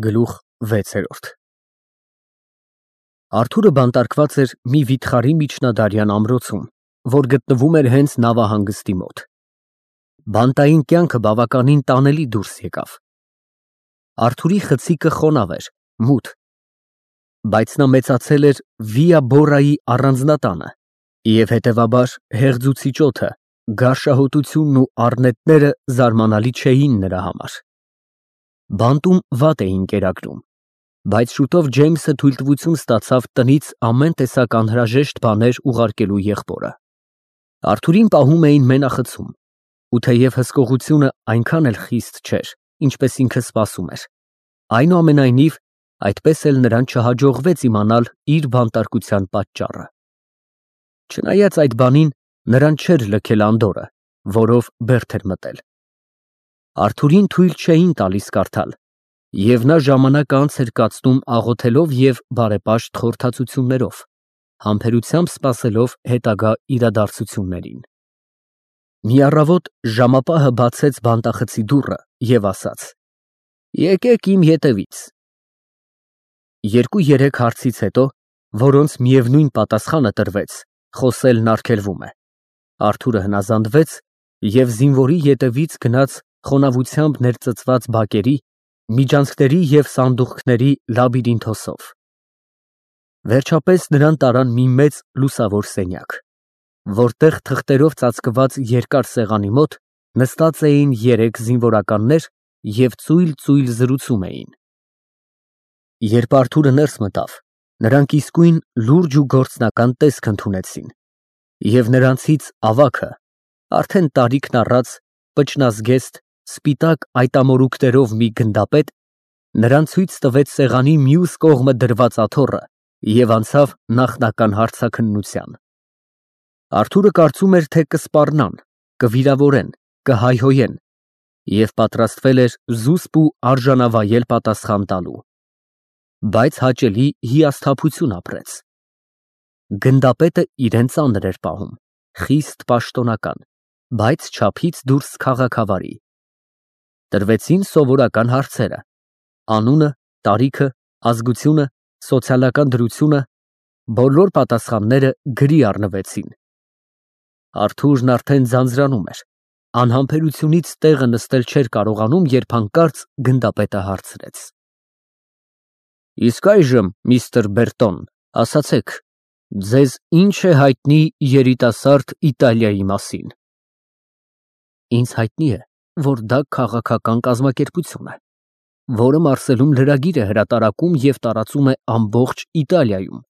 Գլուխ 6 Արթուրը բանտարկված էր մի վիթխարի միջնադարյան ամրոցում, որ գտնվում էր հենց նավահանգստի մոտ։ Բանտային կյանքը բավականին տանելի դուրս եկավ։ Արթուրի խցիկը խոնավ էր, մութ, բայց նա մեծացել էր Վիա Բորայի առանձնատանը և հետևաբար հեղձուցիչ օդը, գարշահոտությունն ու առնետները զարմանալի չէին նրա համար։ Բանտում վատ էին կերակրում, բայց շուտով Ջեյմսը թույլտվություն ստացավ տնից ամեն տեսակ անհրաժեշտ բաներ ուղարկելու եղբորը։ Արթուրին պահում էին մենախցում, ու թեև հսկողությունը այնքան էլ խիստ չէր, ինչպես ինքը սպասում էր, այնուամենայնիվ այդպես էլ նրան չհաջողվեց իմանալ իր բանտարկության պատճառը։ Չնայած այդ բանին, նրան չէր լքել անդորրը, որով բերդ էր մտել։ Արթուրին թույլ չէին տալիս կարդալ, և նա ժամանակ անց էր կացնում աղոթելով և բարեպաշտ խորհրդածություններով, համբերությամբ սպասելով հետագա իրադարձություններին։ Մի առավոտ ժամապահը բացեց բանտախցի դուռը և ասաց. «Եկեք իմ ետևից»։ 2-3 հարցից հետո, որոնց միևնույն պատասխանը տրվեց, խոսելն արգելվում է, Արթուրը հնազանդվեց և զինվորի ետևից գնաց խոնավությամբ ներծծված բակերի, միջանցքների և սանդուղքների լաբիրինթոսով։ Վերջապես նրան տարան մի մեծ լուսավոր սենյակ, որտեղ թղթերով ծածկված երկար սեղանի մոտ նստած էին 3 զինվորականներ և ծույլ զրուցում էին։ Երբ Արթուրը ներս մտավ, նրանք իսկույն լուրջ ու գործնական տեսք ընդունեցին, և նրանցից ավագը, արդեն տարիքն առած, պճնազգեստ, սպիտակ այտամորուքներով մի գնդապետ, նրան ցույց տվեց սեղանի մյուս կողմը դրված աթոռը և անցավ նախնական հարցաքննության։ Արթուրը կարծում էր, թե կսպառնան, կվիրավորեն, կհայհոյեն և պատրաստվել էր զուսպ ու արժանավայել պատասխան տալու։ Բայց հաճելի հիասթափություն ապրեց։ Գնդապետը իրեն ծանր էր պահում, խիստ պաշտոնական, բայց չափից դուրս քաղաքավարի։ Տրվեցին սովորական հարցերը՝ անունը, տարիքը, ազգությունը, սոցիալական դրությունը, բոլոր պատասխանները գրի առնվեցին։ Արթուրն արդեն ձանձրանում էր, անհամբերությունից տեղը նստել չէր կարողանում, երբ հանկարծ գնդապետը հարցրեց. «Իսկ այժմ, միստր Բերտոն, ասացեք, ձեզ ի՞նչ է հայտնի երիտասարդ Իտալիայի մասին»։ «Ինձ հայտնի է, որ դա քաղաքական կազմակերպություն է, որը Մարսելում լրագիր է հրատարակում և տարածում է ամբողջ Իտալիայում,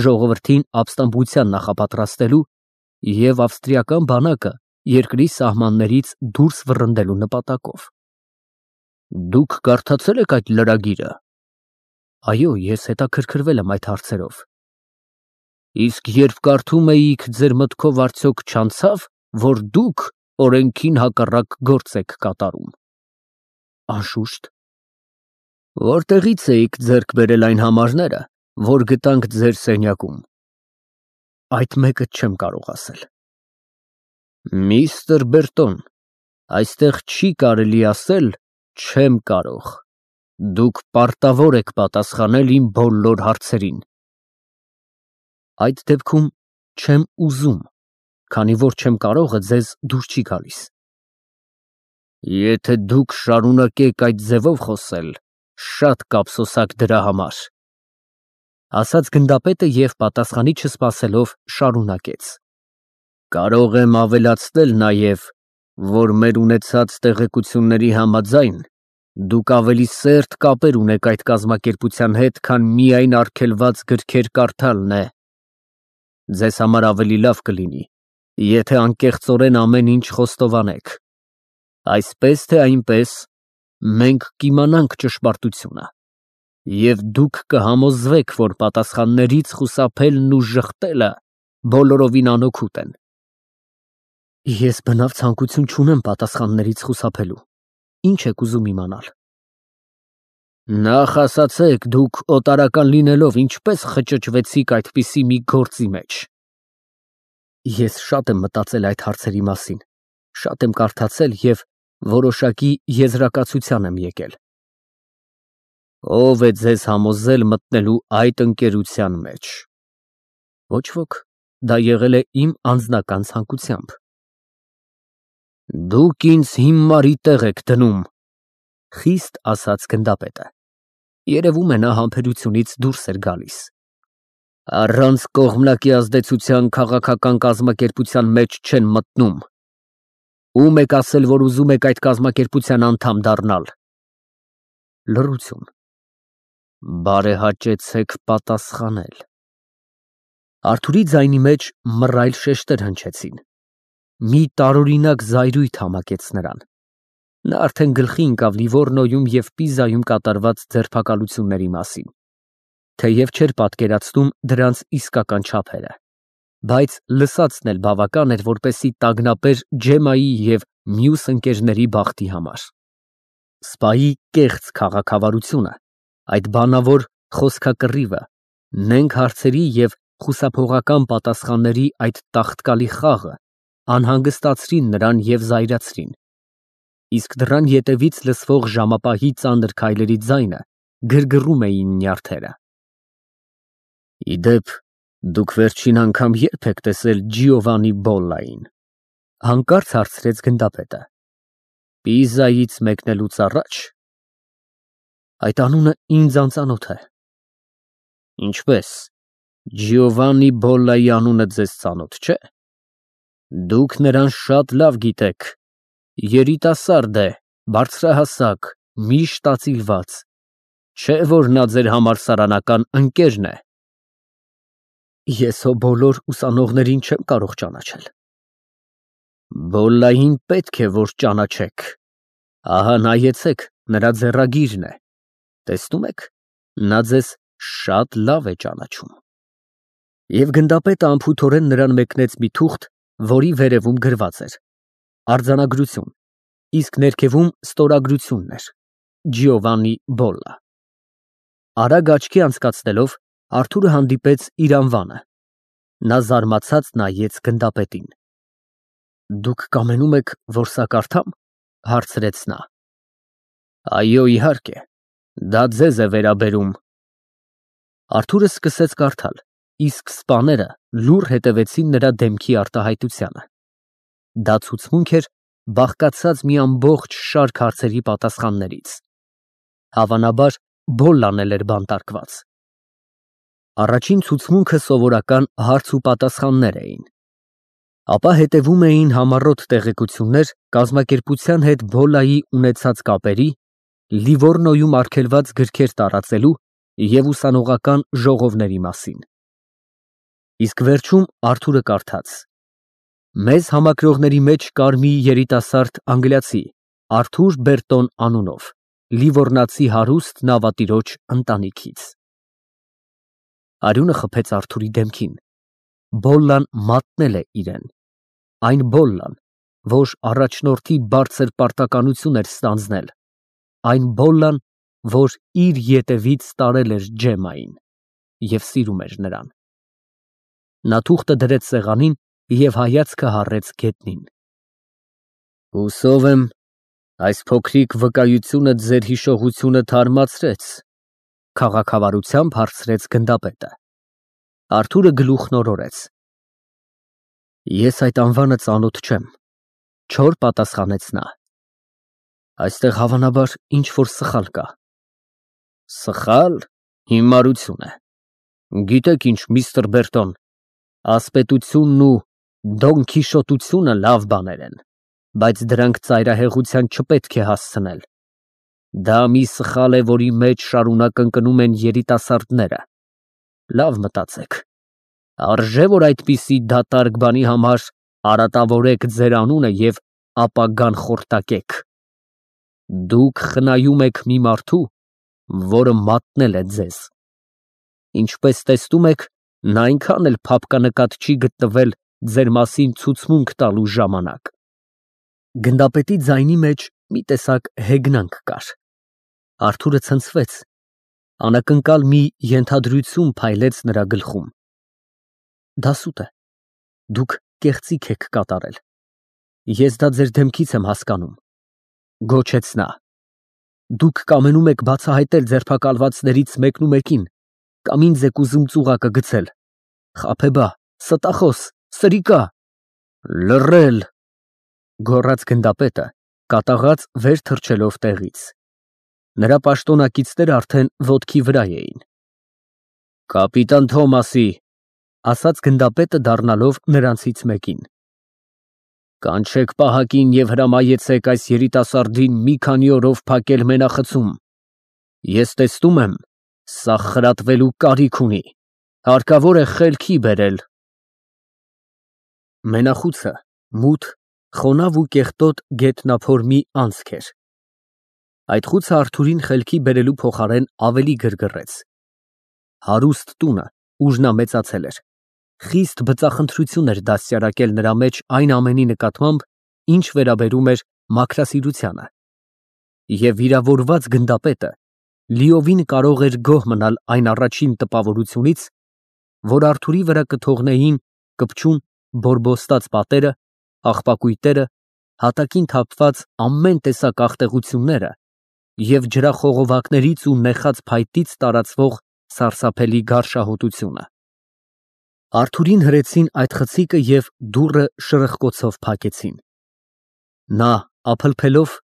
ժողովրդին ապստամբության նախապատրաստելու և ավստրիական բանակը երկրի սահմաններից դուրս վռնդելու նպատակով։ Դուք կարդացե՞լ եք այդ լրագիրը։ Այո, ես հետաքրքրվել եմ այդ հարցերով։ Իսկ երբ կարդում էիք, ձեր մտքով արդյոք չանցավ, որ դուք օրենքին հակառակ գործ եք կատարում։ Անշուշտ։ Որտեղի՞ց էիք ձեռք բերել այն համարները, որ գտանք ձեր սենյակում։ Այդ մեկը չեմ կարող ասել։ Միստր Բերտոն, այստեղ չի կարելի ասել «չեմ կարող»։ Դուք պարտավոր եք պատասխանել իմ բոլոր հարցերին։ Այդ դեպքում չեմ ուզում, քանի որ չեմ կարողը ձեզ դուր չի գալիս։ Եթե դուք շարունակեք այդ ձևով խոսել, շատ կափսոսանք դրա համար, ասաց գնդապետը և պատասխանի չսպասելով շարունակեց. Կարող եմ ավելացնել նաև, որ մեր ունեցած տեղեկությունների համաձայն, դուք ավելի սերտ կապեր ունեք այդ կազմակերպության հետ, քան միայն արգելված գրքեր կարդալն է։ Ձեզ համար ավելի լավ կլինի, եթե անկեղծորեն ամեն ինչ խոստովանեք։ Այսպես թե այնպես, մենք կիմանանք ճշմարտությունը, և դուք կհամոզվեք, որ պատասխաններից խուսափելն ու ժխտելը բոլորովին անօգուտ են։ Ես բնավ ցանկություն չունեմ պատասխաններից խուսափելու։ Ինչ եք ուզում իմանալ։ Նախ ասացեք, դուք օտարական լինելով ինչպես խճճվեցիք այդպիսի մի գործի մեջ։ Ես շատ եմ մտածել այդ հարցերի մասին, շատ եմ կարդացել և որոշակի եզրակացության եմ եկել։ Ո՞վ է ձեզ համոզել մտնելու այդ ընկերության մեջ։ Ոչ ոք, դա եղել է իմ անձնական ցանկությամբ։ Դուք ինձ հիմարի տեղ եք դնում, խիստ ասաց գնդապետը։ Երևում է նա համբերությունից դուրս էր գալիս։ Առանց կողմնակի ազդեցության քաղաքական կազմակերպության մեջ չեն մտնում։ Ում եք ասել, որ ուզում եք այդ կազմակերպության անդամ դառնալ։ Լռություն։ Բարեհաճեցեք պատասխանել։ Արթուրի ձայնի մեջ մռայլ շեշտեր հնչեցին։ Մի տարօրինակ զայրույթ համակեց նրան։ Նա արդեն գլխի ընկավ Լիվորնոյում և Պիզայում կատարված ձերբակալությունների մասին, թեև չէր պատկերացնում դրանց իսկական չափերը, բայց լսածն էլ բավական էր, որպեսզի տագնապեր Ջեմայի և մյուս ընկերների բախտի համար։ Սպայի կեղծ քաղաքավարությունը, այդ բանավոր խոսքակռիվը, նենգ հարցերի և խուսափողական պատասխանների այդ տաղտկալի խաղը անհանգստացրին նրան և զայրացրին, իսկ դռան ետևից լսվող ժամապահի ծանր քայլերի ձայնը գրգռում էին նյարդերը։ Ի դեպ, դուք վերջին անգամ ե՞րբ եք տեսել Ջիովաննի Բոլլային, հանկարծ հարցրեց գնդապետը։ Պիզայից մեկնելուց առաջ։ Այդ անունը ինձ անծանոթ է։ Ինչպես, Ջիովաննի Բոլլայի անունը ձեզ ծանոթ չէ։ Դուք նրան շատ լավ գիտեք, երիտասարդ է, բարձրահասակ, միշտ ծիծաղված, չէ՞ որ նա ձեր համալսարանական ընկերն է։ Ես հո բոլոր ուսանողներին չեմ կարող ճանաչել։ Բոլլային պետք է որ ճանաչեք։ Ահա նայեցեք, նրա ձեռագիրն է։ Տեսնում եք, նա ձեզ շատ լավ է ճանաչում։ Եվ գնդապետը անփութորեն նրան մեկնեց մի թուղթ, որի վերևում գրված էր. Արձանագրություն, իսկ ներքևում ստորագրությունն էր. Ջիովաննի Բոլլա։ Արագ աչքի անցկացնելով, Արթուրը հանդիպեց իր անվանը։ Նա զարմացած նայեց գնդապետին։ Դուք կամենում եք, որ սա կարդամ, հարցրեց նա։ Այո, իհարկե, դա ձեզ է վերաբերում։ Արթուրը սկսեց կարդալ, իսկ սպաները լուռ հետևեցին նրա դեմքի արտահայտությանը։ Դա ցուցմունք էր բաղկացած մի ամբողջ շարք հարցերի պատասխաններից։ Հավանաբար, Բոլլան էլ էր բանտարկված։ Առաջին ցուցմունքը սովորական հարց ու պատասխաններ էին։ Ապա հետևում էին համառոտ տեղեկություններ կազմակերպության հետ Բոլլայի ունեցած կապերի, Լիվորնոյում արգելված գրքեր տարածելու և ուսանողական ժողովների մասին։ Իսկ վերջում Արթուրը կարդաց. Մեզ համակրողների մեջ կար մի երիտասարդ անգլիացի, Արթուր Բերտոն անունով, լիվորնացի հարուստ նավատիրոջ ընտանիքից։ Արյունը խփեց Արթուրի դեմքին։ Բոլլան մատնել է իրեն։ Այն Բոլլան, որ առաջնորդի բարձր պարտականություն էր ստանձնել, այն Բոլլան, որ իր ետևից տարել էր Ջեմային և սիրում էր նրան։ Նա թուղթը դրեց սեղանին և հայացքը հառեց գետնին։ Հուսով եմ, այս փոքրիկ վկայությունը ձեր հիշողությունը թարմացրեց, քաղաքավարությամբ հարցրեց գնդապետը։ Արթուրը գլուխն օրորեց։ Ես այդ անվանը ծանոթ չեմ, չոր պատասխանեց նա։ Այստեղ հավանաբար ինչ-որ սխալ կա։ Սխալ, հիմարություն է։ Գիտեք ինչ, միստր Բերտոն, ասպետությունն ու դոնքիշոտությունը լավ բաներ են, բայց դրանք ծայրահեղության չպետք է հասցնել։ Դա մի սխալ է, որի մեջ շարունակ ընկնում են երիտասարդները։ Լավ մտածեք։ Արժե՞ որ այդպիսի դատարկ բանի համար արատավորեք ձեր անունը և ապագան խորտակեք։ Դուք խնայում եք մի մարդու, որը մատնել է ձեզ։ Ինչպես տեսնում եք, նա այնքան էլ փափկանկատ չի գտնվել ձեր մասին ցուցմունք տալու ժամանակ։ Գնդապետի ձայնի մեջ մի տեսակ հեգնանք կար։ Արթուրը ցնցվեց։ Անակնկալ մի ենթադրություն փայլեց նրա գլխում։ Դա սուտ է։ Դուք կեղծիք եք կատարել։ Ես դա ձեր դեմքից եմ հասկանում, գոչեց նա։ Դուք կամենում եք բացահայտել ձերբակալվածներից մեկնումեկին կամ ինձ եք ուզում ծուղակը գցել։ Խաբեբա, ստախոս, սրիկա։ Լռել, գոռաց գնդապետը, կատաղած վեր թռչելով տեղից։ Նրա պաշտոնակիցները արդեն ոտքի վրա էին։ Կապիտան Թոմասի, ասաց գնդապետը դառնալով նրանցից մեկին։ Կանչեք պահակին և հրամայեցեք այս երիտասարդին մի քանի օրով փակել մենախցում։ Ես տեսնում եմ, սա խրատվելու կարիք ունի, հարկավոր է խելքի բերել։ Մենախուցը մութ, խոնավ ու կեղտոտ գետնափոր մի անցք էր։ Այդ խուցը Արթուրին խելքի բերելու փոխարեն ավելի գրգռեց։ Հարուստ տունը, ուր նա մեծացել էր, խիստ բծախնդրություն էր դաստիարակել նրա մեջ այն ամենի նկատմամբ, ինչ վերաբերում էր մաքրասիրությանը։ Եվ վիրավորված գնդապետը լիովին կարող էր գոհ մնալ այն առաջին տպավորությունից, որ Արթուրի վրա կթողնեին կպչուն բորբոստած պատերը, աղբակույտերը, հատակին թափված ամեն տեսակ աղտեղությունները և ջրախողովակներից ու նեխած փայտից տարածվող սարսափելի գարշահոտությունը։ Արթուրին հրեցին այդ խցիկը և դուռը շրխկոցով փակեցին։ Նա, ափլփելով,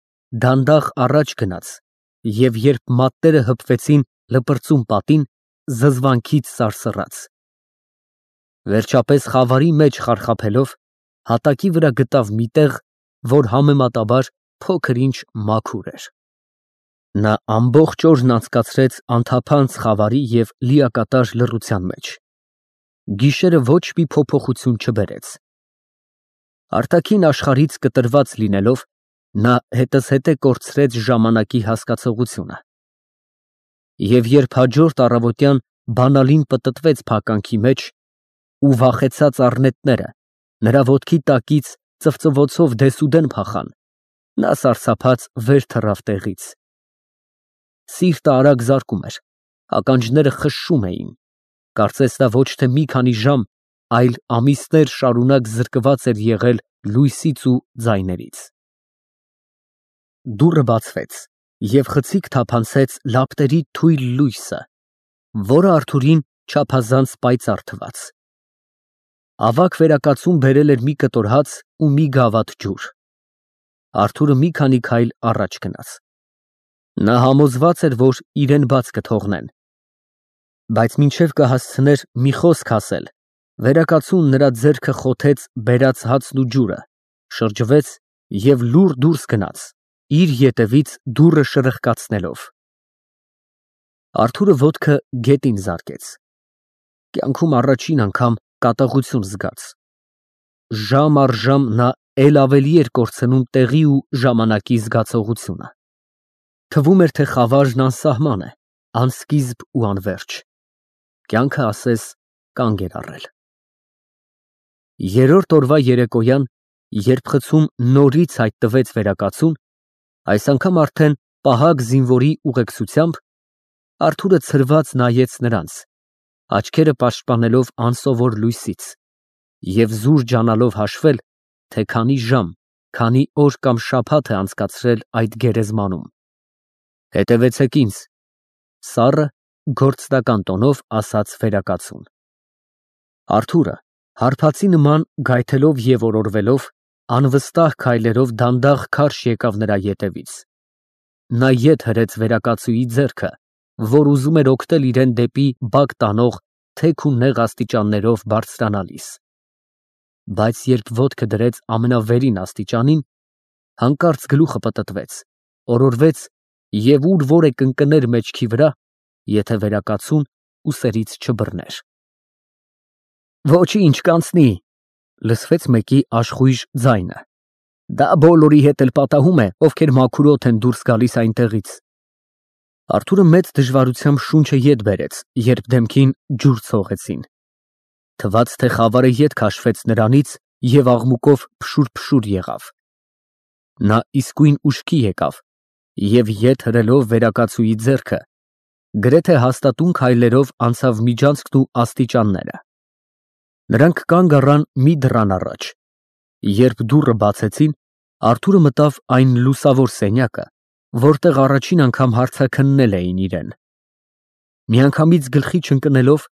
դանդաղ առաջ գնաց և երբ մատները հպվեցին լպրծուն պատին, զզվանքից սարսռաց։ Վերջապես խավարի մեջ խարխափելով, հատակի վրա գտավ մի տեղ, որ համեմատաբար փոքր-ինչ մաքուր էր։ Նա ամբողջ օրն անցկացրեց անթափանց խավարի և լիակատար լռության մեջ։ Գիշերը ոչ մի փոփոխություն չբերեց։ Արտաքին աշխարհից կտրված լինելով, նա հետզհետե կորցրեց ժամանակի հասկացողությունը։ Եվ երբ հաջորդ առավոտյան բանալին պտտվեց փականքի մեջ ու վախեցած առնետները նրա ոտքի տակից ծվծվոցով դեսուդեն փախան, նա սարսափած վեր թռավ տեղից։ Սիրտը արագ զարկում էր, ականջները խշշում էին, կարծես նա ոչ թե մի քանի ժամ, այլ ամիսներ շարունակ զրկված էր եղել լույսից ու ձայներից։ Դուռը բացվեց, և խցիկ թափանցեց լապտերի թույլ լույսը, որը Արթուրին չափազանց պայծառ թվաց։ Ավագ վերակացուն բերել էր մի կտոր հաց ու մի գավաթ ջուր։ Արթուրը մի քանի քայլ առաջ գնաց։ Նա համոզված էր, որ իրեն բաց կթողնեն։ Բայց մինչև կհասցներ մի խոսք ասել, վերակացուն նրա ձեռքը խոթեց բերած հացն ու ջուրը, շրջվեց և լուռ դուրս գնաց, իր ետևից դուռը շրխկացնելով։ Արթուրը ոտքը գետին զարկեց։ Կյանքում առաջին անգամ կատաղություն զգաց։ Ժամ առ ժամ նա էլ ավելի էր կորցնում տեղի ու ժամանակի զգացողությունը։ Թվում էր, թե խավարն անսահման է, անսկիզբ ու անվերջ։ Կյանքը ասես կանգ էր առել։ Երրորդ օրվա երեկոյան, երբ խցում նորից հայտնվեց վերակացուն, այս անգամ արդեն պահակ զինվորի ուղեկցությամբ, Արթուրը ցրված նայեց նրանց, աչքերը պաշտպանելով անսովոր լույսից, և զուր ջանալով հաշվել, թե քանի ժամ, քանի օր կամ շաբաթ է անցկացրել այդ գերեզմանում։ Հետևեցեք ինձ, սառը, գործնական տոնով ասաց վերակացուն։ Արթուրը, հարբածի նման գայթելով և օրորվելով, անվստահ քայլերով դանդաղ քարշ եկավ նրա ետևից։ Նա ետ հրեց վերակացուի ձեռքը, որ ուզում էր օգնել իրեն դեպի բակ տանող թեք ու նեղ աստիճաններով բարձրանալիս։ Բայց երբ ոտքը դրեց ամենավերին աստիճանին, հանկարծ գլուխը պտտվեց, օրորվեց և ուր որ է կընկներ մեջքի վրա, եթե վերակացուն ուսերից չբռներ։ Ոչինչ, կանցնի, լսվեց մեկի աշխույժ ձայնը։ Դա բոլորի հետ էլ պատահում է, ովքեր մաքուրոտ են դուրս գալիս այնտեղից։ Արթուրը մեծ դժվարությամբ շունչը ետ բերեց, երբ դեմքին ջուր ցողեցին։ Թվաց, թե խավարը ետ քաշվեց նրանից և աղմուկով փշուր եղավ։ Նա իսկույն ուշքի եկավ և ետ հրելով վերակացուի ձեռքը, գրեթե հաստատուն քայլերով անցավ միջանցքն ու աստիճանները։ Նրանք կանգ առան մի դռան առաջ։ Երբ դուռը բացեցին, Արթուրը մտավ այն լուսավոր սենյակը, որտեղ առաջին անգամ հարցաքննել էին իրեն։ Միանգամից գլխի չընկնելով,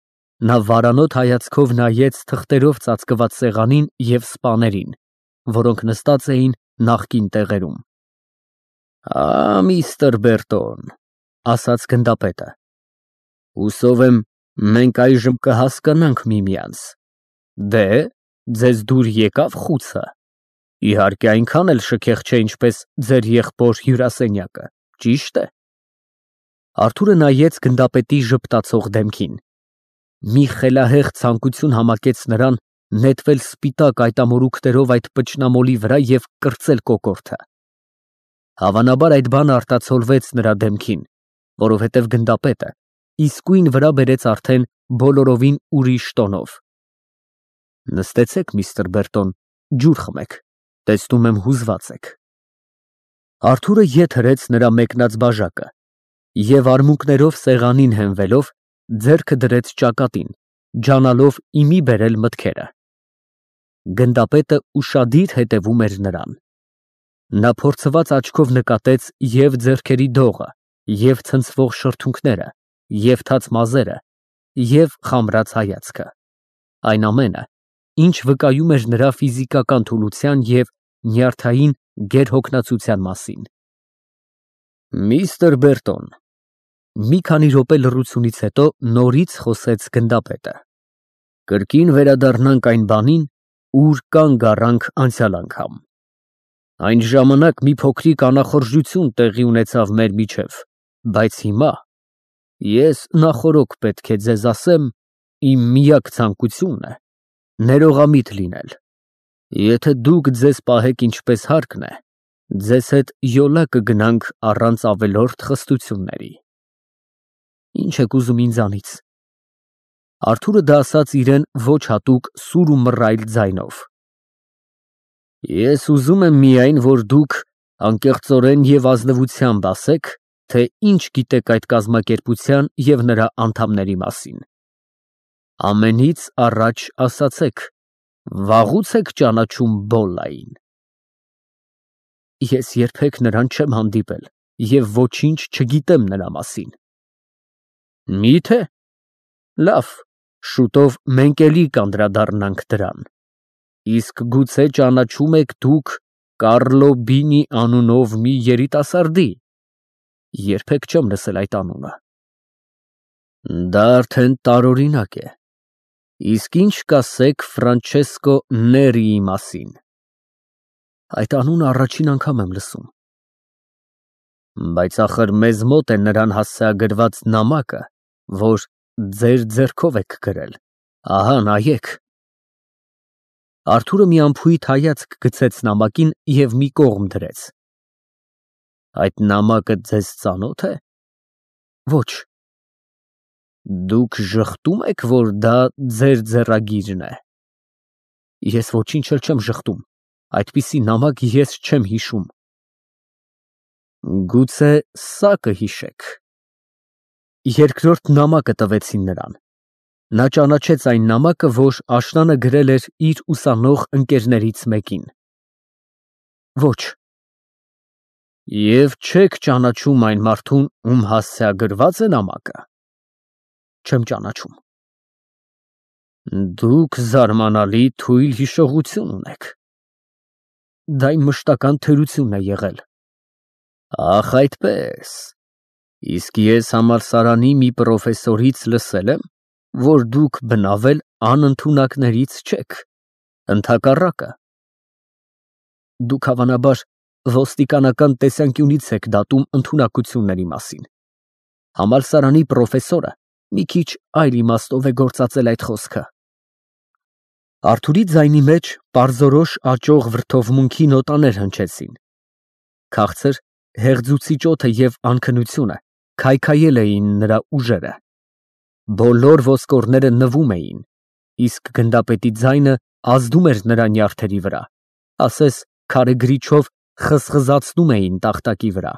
նա վարանոտ հայացքով նայեց թղթերով ծածկված սեղանին և սպաներին, որոնք նստած էին նախկին տեղերում։ Միստր Բերտոն, ասաց գնդապետը, հուսով եմ, մենք այժմ կհասկանանք միմյանց։ Դե, ձեզ դուր եկավ խուցը։ Իհարկե այնքան էլ շքեղ չէ, ինչպես ձեր եղբոր հյուրասենյակը, ճիշտ է։ Արթուրը նայեց գնդապետի ժպտացող դեմքին։ Մի խելահեղ ցանկություն համակեց նրան նետվել սպիտակ այտամորուքներով այդ պճնամոլի վրա և կրծել կոկորդը։ Հավանաբար այդ բանը արտացոլվեց նրա դեմքին, որովհետև գնդապետը իսկույն վրա բերեց արդեն բոլորովին ուրիշ տոնով։ Նստեցեք, միստր Բերտոն, ջուր խմեք, տեսնում եմ հուզված եք։ Արթուրը ետ հրեց նրա մեկնած բաժակը և արմունկներով սեղանին հենվելով, ձեռքը դրեց ճակատին, ջանալով իմի բերել մտքերը։ Գնդապետը ուշադիր հետևում էր նրան։ Նա փորձված աչքով նկատեց և ձեռքերի դողը, և ցնցվող շրթունքները, և թաց մազերը, և խամրած հայացքը, այն ամենը, ինչ վկայում էր նրա ֆիզիկական թուլության և նյարդային գերհոգնածության մասին։ Միստր Բերտոն, մի քանի րոպե լռությունից հետո նորից խոսեց գնդապետը, կրկին վերադառնանք այն բանին, ուր կանգ առանք անցյալ անգամ։ Այն ժամանակ մի փոքրիկ անախորժություն տեղի ունեցավ մեր միջև, բայց հիմա ես նախօրոք պետք է ձեզ ասեմ, իմ միակ ցանկությունն է ներողամիտ լինել։ Եթե դուք ձեզ պահեք ինչպես հարկն է, ձեզ հետ յոլա կգնանք առանց ավելորդ խստությունների։ Ինչ եք ուզում ինձանից։ Արթուրը դա ասաց իրեն ոչ հատուկ սուր ու մռայլ ձայնով։ Ես ուզում եմ միայն, որ դուք անկեղծորեն և ազնվությամբ ասեք, թե ինչ գիտեք այդ կազմակերպության և նրա անդամների մասին։ Ամենից առաջ ասացեք, վաղուց եք ճանաչում Բոլլային։ Ես երբեք նրան չեմ հանդիպել և ոչինչ չգիտեմ նրա մասին։ Մի՞թե։ Լավ, շուտով մենք էլի կանդրադառնանք դրան։ Իսկ գուցե ճանաչում եք դուք Կառլո Բինի անունով մի երիտասարդի։ Երբեք չեմ լսել այդ անունը։ Դա արդեն տարօրինակ է։ Իսկ ինչ կասեք Ֆրանչեսկո Ներիի մասին։ Այդ անունը առաջին անգամ եմ լսում։ Բայց ախր մեզ մոտ է նրան հասցեագրված նամակը, որ ձեր ձեռքով եք գրել, ահա նայեք։ Արթուրը մի անփույթ հայացք գցեց նամակին և մի կողմ դրեց։ Այդ նամակը ձեզ ծանո՞թ է։ Ոչ։ Դուք ժխտում եք, որ դա ձեր ձեռագիրն է։ Ես ոչինչ էլ չեմ ժխտում, այդպիսի նամակ ես չեմ հիշում։ Գուցե սա կհիշեք։ Երկրորդ նամակը տվեցին նրան։ Նա ճանաչեց այն նամակը, որ աշնանը գրել էր իր ուսանող ընկերներից մեկին։ Ոչ։ Եվ չեք ճանաչում այն մարդուն, ում հասցեագրված է նամակը։ Չեմ ճանաչում։ Դուք զարմանալի թույլ հիշողություն ունեք։ Դա իմ մշտական թերությունն է եղել։ Ախ, այդպես։ Իսկ ես համալսարանի մի պրոֆեսորից լսել եմ, որ դուք բնավել անընդունակներից չեք, ընդհակառակը։ Դուք հավանաբար ոստիկանական տեսանկյունից եք դատում ընդունակությունների մասին։ Համալսարանի պրոֆեսորը մի քիչ այլ իմաստով է գործածել այդ խոսքը։ Արթուրի ձայնի մեջ պարզորոշ աճող վրդովմունքի նոտաներ հնչեցին։ Քաղցր, հեղձուցիչ օդը և անքնությունը քայքայել էին նրա ուժերը։ Բոլոր ոսկորները նվում էին, իսկ գնդապետի ձայնը ազդում էր նրա նյարդերի վրա, ասես քարե գրիչով խզխզացնում էին տախտակի վրա։